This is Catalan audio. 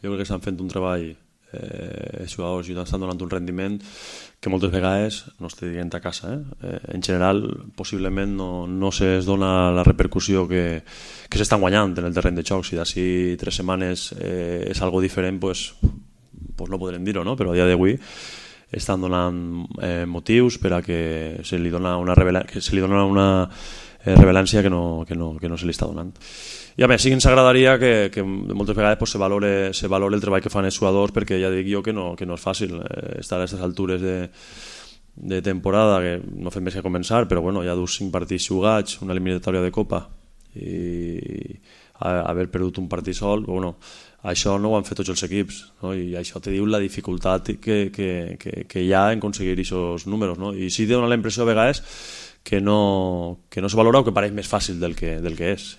jo crec que estan fent un treball, els jugadors i estan donant un rendiment que moltes vegades no estic dient a casa. En general, possiblement no se'ls dona la repercussió que s'estan guanyant en el terreny de joc. Si d'ací 3 setmanes és algo diferent, pues no podrem dir-ho, no? Però a dia d'avui estan donant motius per a que se li dona una rellevància que no se li està donant. I a més, sí que ens agradaria que moltes vegades se valore el treball que fan els jugadors, perquè ja dic jo que no és fàcil estar a aquestes altures de temporada, que no fem més que començar, però bueno, ja 5 partits jugats, una eliminatòria de Copa i haver perdut un partit sol, bueno, això no ho han fet tots els equips, no? I això te diu la dificultat que hi ha en aconseguir aquests números, no? I sí dona la impressió a vegades que no se valora o que pareix més fàcil del que és.